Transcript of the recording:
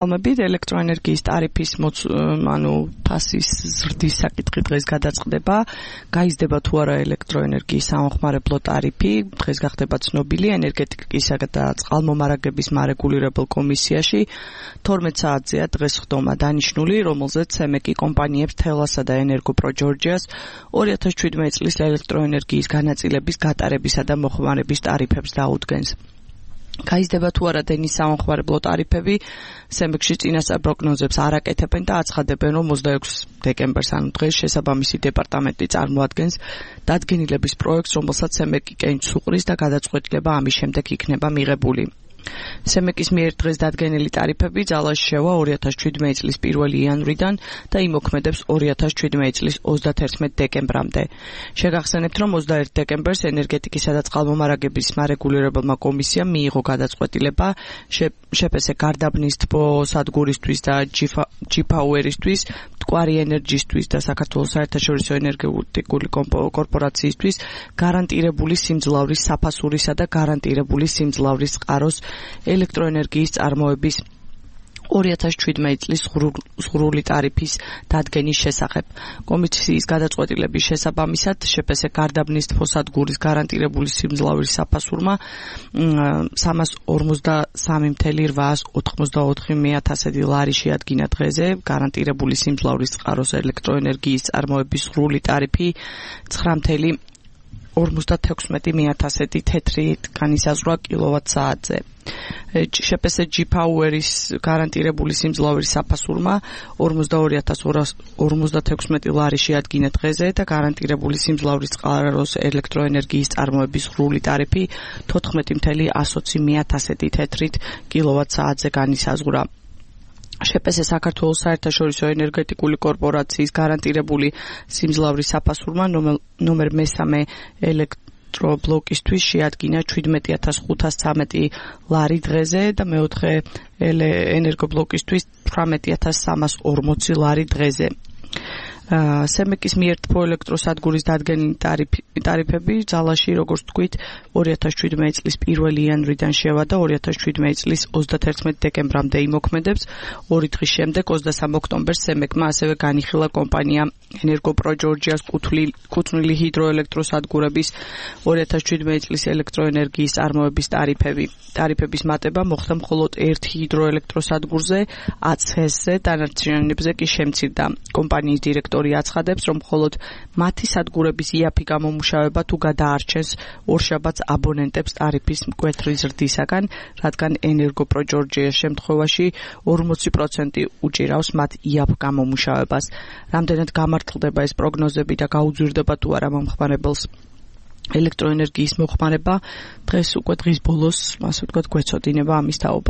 ელექტროენერგიის ტარიფის ფასის ზრდის საკითხი დღეს გადაწყდება. გაიზრდება თუ არა ელექტროენერგიის სამხმარებლო ტარიფი. დღეს გახდება ცნობილი ენერგეტიკისა და წყალმომარაგების მარეგულირებელ კომისიაში. 12 საათზეა დღეს ხდომა დანიშნული, რომელზეც CEMEC კომპანიებს თელასა და ენერგოპრო-ჯორჯიას 2017 წლის ელექტროენერგიის განაწილების გატარებისა და მოხმარების ტარიფებს დაუდგენს. გაიზრდება თუ არა დენის სამხმარებლო ტარიფები, CEMEC-ში წინასწარ პროგნოზებს არ აკეთებენ და აცხადებენ, რომ 26 დეკემბერს, ანუ დღეს შესაბამისი დეპარტამენტი წარმოადგენს დადგენილების პროექტს, რომელსაც CEMEC კენჭს უყრის და გადაწყვეტილება ამის შემდეგ იქნება მიღებული. CEMEC-ის მიერ დღეს დადგენილი ტარიფები ძალაში შევა 2017 წლის 1 იანვრიდან და იმოქმედებს 2017 წლის 31 დეკემბრამდე. შეგახსენებთ, რომ 21 დეკემბერს ენერგეტიკისა და წყალმომარაგების მარეგულირებელმა კომისიამ მიიღო გადაწყვეტილება შეფესე გარდაბნის თბო სადგურისთვის და G-Power-ისთვის, მტკვარი ენერჯისთვის და საქართველოს საერთაშორისო ენერგეტიკული კორპორაციისთვის გარანტირებული სიმძლავრის საფასურისა და გარანტირებული სიმძლავრის წყაროს ელექტროენერგიის წარმოების 2017 წლის ზღვრული ტარიფის დადგენის შესახებ. კომისიის გადაწყვეტილების შესაბამისად შეფესე გარდაბნის თბოსადგურის გარანტირებული სიმძლავრის საფასურმა 343,894 ლარი შეადგინა დღეზე. გარანტირებული სიმძლავრის წყაროს ელექტროენერგიის წარმოების ზღვრული ტარიფი 9,56 თეთრი განისაზღვრა კილოვატ-საათზე. შეფესე G-Power-ის გარანტირებული სიმძლავრის საფასურმა 42,256 ლარი შეადგინა დღეზე და გარანტირებული სიმძლავრის წყაროს ელექტროენერგიის წარმოების ზღვრული ტარიფი 14,120 თეთრით კილოვატ-საათზე განისაზღვრა. შეფესე საქართველოს საერთაშორისო ენერგეტიკული კორპორაციის გარანტირებული სიმძლავრის საფასურმა ნომერ მესამე ელექტრობლოკისთვის შეადგინა 17,513 ლარი დღეზე და მეოთხე ენერგობლოკისთვის 18,340 ლარი დღეზე. CEMEC-ის მიერ თბო ელექტროსადგურის დადგენილი ტარიფები ძალაში, როგორც თქვით, 2017 წლის 1 იანვრიდან შევა და 2017 წლის 31 დეკემბრამდე იმოქმედებს. 2 დღის შემდეგ, 23 ოქტომბერს CEMEC-მა ასევე განიხილა კომპანია ენერგოპრო-ჯორჯიას კუთვნილი ჰიდროელექტროსადგურების 2017 წლის ელექტროენერგიის წარმოების ტარიფები. ტარიფების მატება მოხდა მხოლოდ ერთ ჰიდროელექტროსადგურზე, ACES-ზე, დანარჩენებზე კი შემცირდა. კომპანიის დირექტორი აცხადებს, რომ მხოლოდ მათი სადგურების იაფი გამომუშავება თუ გადაარჩენს ორშაბათს აბონენტებს ტარიფის მკვეთრი ზრდისაგან, რადგან ენერგოპრო-ჯორჯიას შემთხვევაში 40% უჭირავს მათ იაფ გამომუშავებას. რამდენად გამართლდება ეს პროგნოზები და გაუძვირდება თუ არა მომხმარებელს ელექტროენერგიის მოხმარება, დღეს უკვე დღის ბოლოს, ასე ვთქვათ, გვეცოდინება ამის თაობაზე.